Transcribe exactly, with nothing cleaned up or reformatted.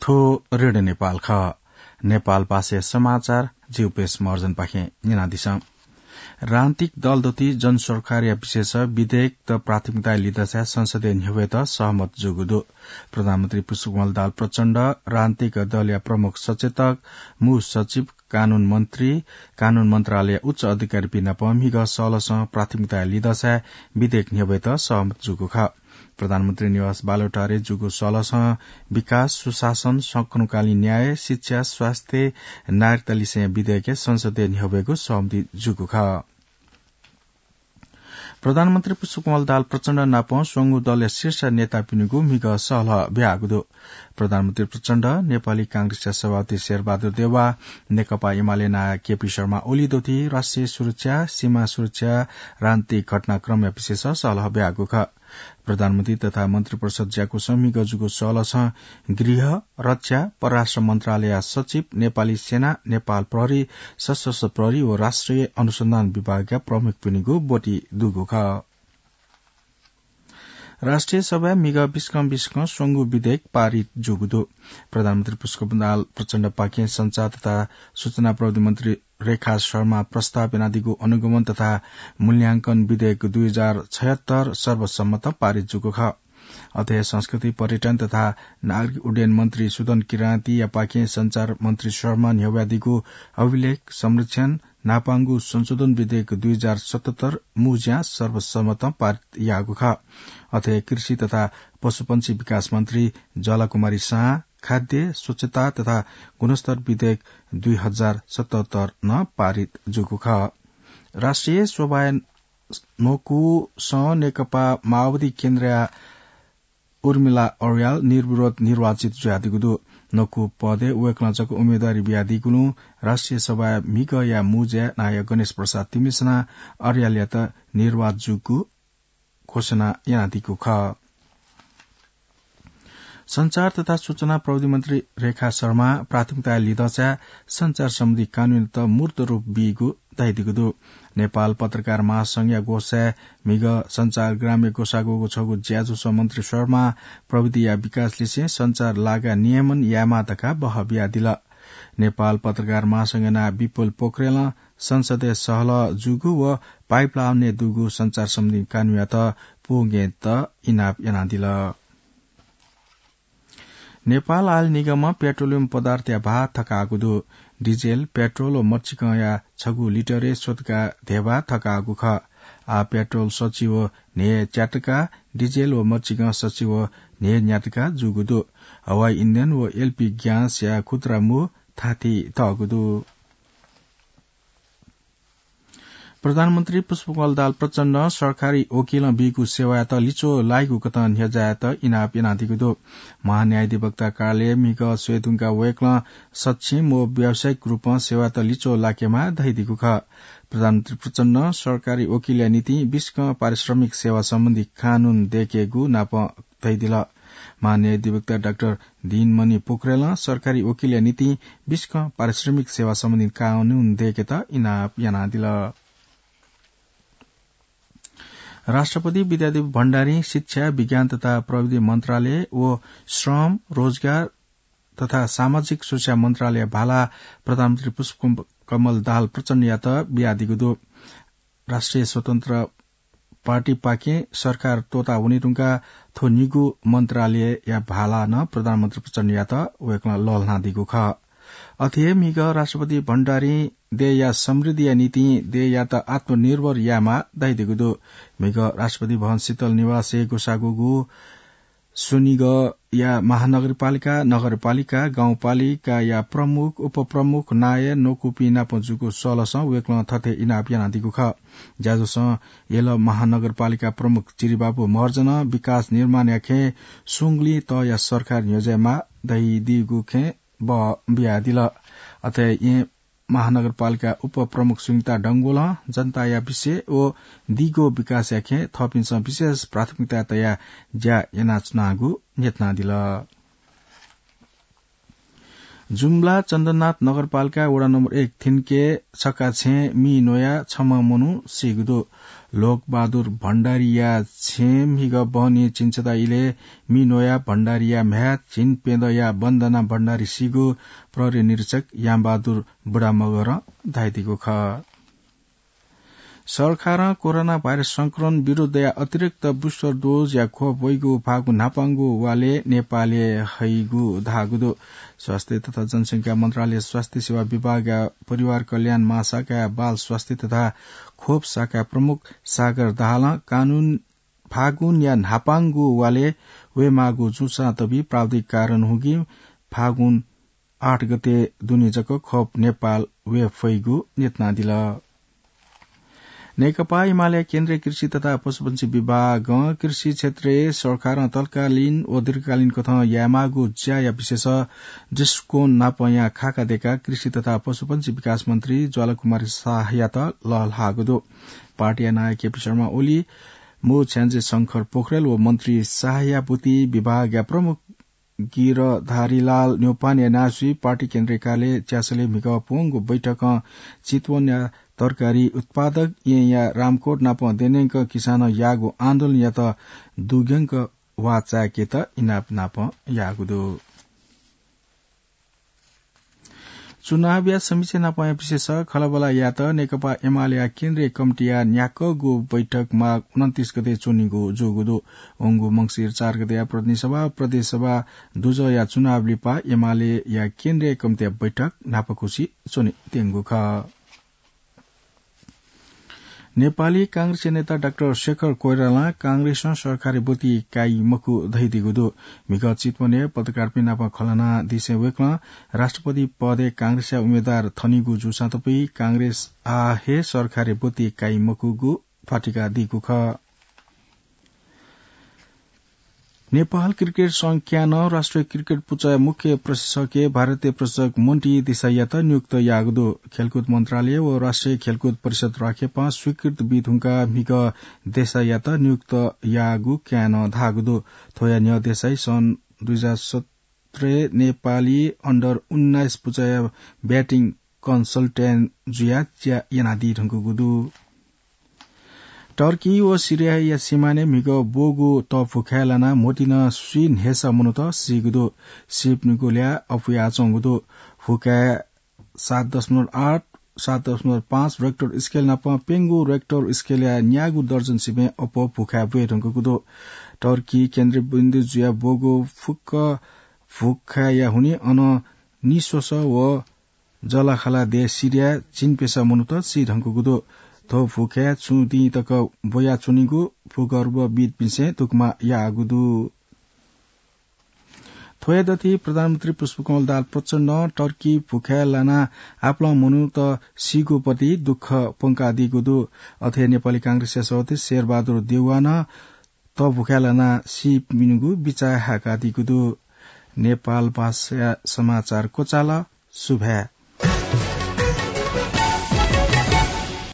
थ्व रेडियो नेपाल खः। नेपाल भाषाया समाचार जिउपेश महर्जनपाखें न्यनादिसँ। राजनीतिक दलदथि जनसरकारया विषयस विधेयकत प्राथमिकताया लिधंसाय् संसदय् न्ह्यब्वयेत सहमत जूगु दु। प्रधानमन्त्री पुष्पकमल दाहाल प्रचण्ड, राजनीतिक दलया प्रमुख सचेतक, मू सचिव, कानून मन्त्री, कानून मन्त्रालयया उच्च अधिकारीपिं नाप म्हिगः सहलसं प्राथमिकताया लिधंसाय् विधेयक न्ह्यब्वयेत सहमत जूगु खः। प्रधानमन्त्री निवास बालुवाटारय् जूगु सहलसं विकास, सुशासन, समकालीन न्याय, शिक्षा, स्वास्थ्य, नागरिकता लिसें विधेयकय् संसदय् न्ह्यब्वयेगु सहमति जूगु खः। प्रधानमन्त्री पुष्पकमल दाहाल प्रचण्ड नाप स्वंगू दलया शीर्ष नेतापिनिगु म्हिगः सहलह ब्याहागु दु। प्रधानमन्त्री प्रचण्ड, नेपाली कांग्रेसया सभापति शेरबहादुर देउवा, नेकपा एमाले नायः केपी शर्मा ओली दथि राष्ट्रिय सुरक्षा, सीमा सुरक्षा, राजनीतिक घटनाक्रमया विषयस सहलह ब्याहागु खः। प्रधानमन्त्री तथा मन्त्रिपरिषद ज्याकुसं म्हिगः जूगु सहलसं गृह, रक्षा, परराष्ट्र मन्त्रालयया सचिव, नेपाली सेना, नेपाल प्रहरी, सशस्त्र प्रहरी व राष्ट्रिय अनुसन्धान विभागया प्रमुखपिनिगु ब्वति दुगु खः। राष्ट्रिय सभाय् म्हिगः बिस्कं बिस्कं स्वंगू विधेयक पारित जूगु दु। प्रधानमन्त्री पुष्पकमल दाहाल प्रचण्डपाखें सञ्चार तथा सूचना प्रविधि मन्त्री रेखा शर्मा प्रस्ताव यानादीगु अनुगमन तथा मूल्यांकन विधेयक दुई हजार छयहत्तर सर्वसम्मत पारित जूगु खः। अथे संस्कृति, पर्यटन तथा नागरिक उड्डयन मन्त्री सुदन किरातीयापाखें सञ्चार मन्त्री शर्मां न्ह्यब्वयादीगु अभिलेख संरक्षण नापांगु संशोधन विधेयक दुई हजार सतहत्तर मू ज्यां सर्वसम्मतं पारित याःगु खः। अथे कृषि तथा पशुपंक्षी विकास मन्त्री ज्वालाकुमारी साह खाद्य, स्वच्छता तथा गुणस्तर विधेयक दुई हजार सतहत्तर नं पारित जूगु खः। राष्ट्रिय सभाय् न्वकूसं नेकपा माओवादी केन्द्रया उर्मिला अर्याल निर्विरोध निर्वाचित जुयादीगु दु। न्वकू पदय् वय्कलं जक उम्मेदवारी बियादीगुलिं राष्ट्रिय सभाया म्हिगःया मू ज्याय् नायः गणेश प्रसाद तिमिल्सनां अर्यालयात निर्वाचित जूगु घोषणा यानादीगु खः। सञ्चार तथा सूचना प्रविधि मन्त्री रेखा शर्मां प्राथमिकताया लिधंसाय् सञ्चार सम्बन्धी कानूनयात मूर्त रूप बीगु धयादीगु दु। नेपाल पत्रकार महासंघया ग्वसाय् म्हिगः सञ्चारग्रामय् ग्वसाः ग्वःगु छगू ज्याझ्वलय् मन्त्री शर्मां प्रविधिया विकास लिसें सञ्चार लागा नियमन यायेमाः धकाः बहः बियादिल। नेपाल पत्रकार महासंघया नायः विपुल पोखरेलं संसदय् सहलह जूगु व पाइपलाइनय् दुगु सञ्चार सम्बन्धी कानूनयात पूवंकेत इनाप यानादिल। नेपाल आयल निगमं पेट्रोलियम पदार्थया भाः थकाःगु दु। डिजेल, पेट्रोल व मच्चिकंया छगू लिटरय् स्वतका धेबा थकाःगु खः। आः पेट्रोल सछि व न्हय् च्यातका, डिजेल व मच्चिकं सछि व न्हय् न्यातका जूगु दु। हवाई इन्धन व एलपी ग्यासया खुद्रा मू थाथि तःगु दु। प्रधानमन्त्री पुष्पकमल दाहाल प्रचण्डं सरकारी वकिलं बीगु सेवायात लिच्वः लाइगु कथं न्ह्यज्यायेत इनाप यानादीगु दु। महान्यायाधिवक्ता कार्यालयय् म्हिगः स्वयेधुंकाः वय्कलं सक्षम व व्यावसायिक रूपं सेवायात लिच्वः लाकेमाः धयादीगु खः। प्रधानमन्त्री प्रचण्डं सरकारी वकिलया निंतिं बिस्कं पारिश्रमिक सेवा सम्बन्धी कानून दयेकेगु नाप धयादिल। महान्यायाधिवक्ता डाक्टर दिनमणि पोखरेलं सरकारी वकिलया निंतिं बिस्कं पारिश्रमिक सेवा सम्बन्धी कानून दयेकेत इनाप यानादिल। राष्ट्रपति विद्यादेवी भण्डारीं शिक्षा, विज्ञान तथा प्रविधि मन्त्रालय व श्रम, रोजगार तथा सामाजिक सुरक्षा मन्त्रालयया भाला प्रधानमन्त्री पुष्पकमल दाहाल प्रचण्डयात बियादीगु दु। राष्ट्रिय स्वतन्त्र पार्टीपाखें सरकार त्वःता वनेधुंकाः थ्व निगू मन्त्रालयया भाला नं प्रधानमन्त्री प्रचण्डयात वय्कलं लःल्हानादीगु खः। अथे हे म्हिगः राष्ट्रपति भण्डारीं देय्‌या समृद्धिया निंतिं देय्‌यात आत्मनिर्भर यायेमाः धयादीगु दु। म्हिगः राष्ट्रपति भवन शीतल निवासय् ग्वसाः ग्वःगु स्वनिगःया महानगरपालिका, नगरपालिका, गाउँपालिकाया प्रमुख, उपप्रमुख, नायः, न्वकूपिं नाप जूगु सहलसं वय्कलं थथे इनाप यानादीगु खः। ज्याझ्वलं यल महानगरपालिका प्रमुख चिरिबाबु महर्जनं विकास निर्माणया खँय् सुंगुलिं तहया सरकार न्ह्यज्यायेमाः धयादीगु खँय् बः बियादिल। अथे येँ महानगरपालिका उपप्रमुख सुनिता डंगोलं जनताया विषय व दीगो विकासया खँय् थःपिन्सं विशेष प्राथमिकता तयाः ज्या यानाच्वनागु न्ह्यथनादिल। जुम्ला चन्द्रनाथ नगरपालिका वडा नम्बर एक थिन्के छक्का छेँ मि न्वया छम्ह मनू सीगु दु। लोकबहादुर भण्डारीया छेँ म्हिगः बहनी झिंछता इलय् मि न्वया भण्डारीया म्ह्याय् झिंप्यदँया वन्दना भण्डारी सीगु प्रहरी निरीक्षक यामबहादुर बुढामगरं धयादीगु खः। सरकारं कोरोना भाइरस संक्रमण विरुद्धया अतिरिक्त booster dose या खोप वइगु फागु न्हापांगु वालय् नेपालय् हइगु धाःगु दु। स्वास्थ्य तथा जनसंख्या मन्त्रालय स्वास्थ्य सेवा विभागया परिवार कल्याण महाशाखाया बाल स्वास्थ्य तथा खोप शाखा प्रमुख सागर दाहालं कानून फागुनया न्हापांगु वालय् वयेमाःगु जूसां तबि प्राविधिक कारण हुगी फागुन आठ गते दुने जक खोप नेपाल वये फइगु न्यनादिल। नेकपा एमाले केन्द्रीय कृषि तथा पशुपन्छी विभागं कृषि क्षेत्रय् सरकारं तत्कालीन व दीर्घकालीन कथं यायेमाःगु ज्याया विशेष दृष्टिकोण नापंया खाका देका कृषि तथा पशुपन्छी विकास मन्त्री ज्वालाकुमारी शाहयात लःल्हाःगु दु। पार्टीया नायः केपी शर्मा ओली, मू छ्याञ्जे शंकर पोखरेल व मन्त्री शाहया बुति विभागया प्रमुख गिरधारीलाल न्यौपाने नासुइ पार्टी केन्द्रीय कार्यालय च्यासलय् म्हिगः प्वंगु बैठकं चितवनया तरकारी उत्पादक येँया रामकोट नापं देनेंक किसानं याःगु आन्दोलनयात दुग्यंक वाःचाय्केत इनाप नापं याःगु दु। चुनावया समीक्षा नापंया विशेष खँल्हाबल्हा यायेत नेकपा एमालेया केन्द्रीय कमिटीया न्याक्वःगु बैठक माघ उनन्तीस गते च्वनीगु जूगु दु। वंगु मंसिर चार गतेया प्रतिनिधि सभा व प्रदेश सभा दुजःया चुनाव लिपा एमालेया केन्द्रीय कमिटीया बैठक न्हापाकुछि च्वनेत्यंगु खः। नेपाली कांग्रेसया नेता डाक्टर शेखर कोइरालां कांग्रेसं सरकारी ब्वति काइ मखु धयादीगु दु। म्हिगः चितवनय् पत्रकारपिं नाप खँल्हानादिसें वय्कलं राष्ट्रपति पदय् कांग्रेसया उम्मेदवार थनीगु जूसां तपुइ कांग्रेस आः हे सरकारी ब्वति काइ मखुगु ख्वातिकादीगु खः। नेपाल क्रिकेट संघ क्यानं राष्ट्रिय क्रिकेट पुचःया मुख्य प्रशिक्षकय् भारतीय प्रशिक्षक मन्टी देसाईयात नियुक्त याःगु दु। खेलकुद मन्त्रालय व राष्ट्रिय खेलकुद परिषद राखेपां स्वीकृत बी धुंकाः म्हिगः देसाईयात नियुक्त याःगु क्यानं धाःगु दु। थ्वया न्ह्यः देसाई सन् दुई हजार सत्रय् नेपाली अन्डर उन्नाइस पुचःया ब्याटिङ कन्सल्टेन्ट जुयाः ज्या यानादी धुंकूगु दु। टर्की व सिरियाया सिमानय् म्हिगः ब्वःगु तःभुखाय् लानाः म्होतिनं स्वीन्हय्‌सा मनूत सीगु दु। सीपिनिगु ल्याः अपुयाच्वंगु दु। भुखाय् सात दशमलव आठ, सात दशमलव पाँच रेक्टर स्केल नाप प्यंगू रेक्टर स्केलया न्यागू दर्जन सिबें अप्वः भुखाय् ब्वये धुंकूगु दु। टर्की केन्द्रबिन्दु जुयाः ब्वःगु फुक्क भुखाय्‌या हुनिं अन निस्वसः व जःलाखःला देश सिरियाय् झिंप्यसः मनूत सी धुंकूगु दु। थ्व भुखाय् छुं दिं तक ब्वयाच्वनीगु भूगर्भविद्‌पिन्सं धुकुमा याःगु दु। थ्वया दथुइ प्रधानमन्त्री पुष्पकमल दाहाल प्रचण्डं टर्की भुखाय् लानाः आपालं मनूत सीगु प्रति दुःख प्वंकादीगु दु। अथे नेपाली कांग्रेसया सभापति शेरबहादुर देउवानं तःभुखाय् लानाः सीपिनिगु बिचाः हाय्‌कादीगु दु। नेपाल भाषाया समाचार क्वचाल। सुभाय्।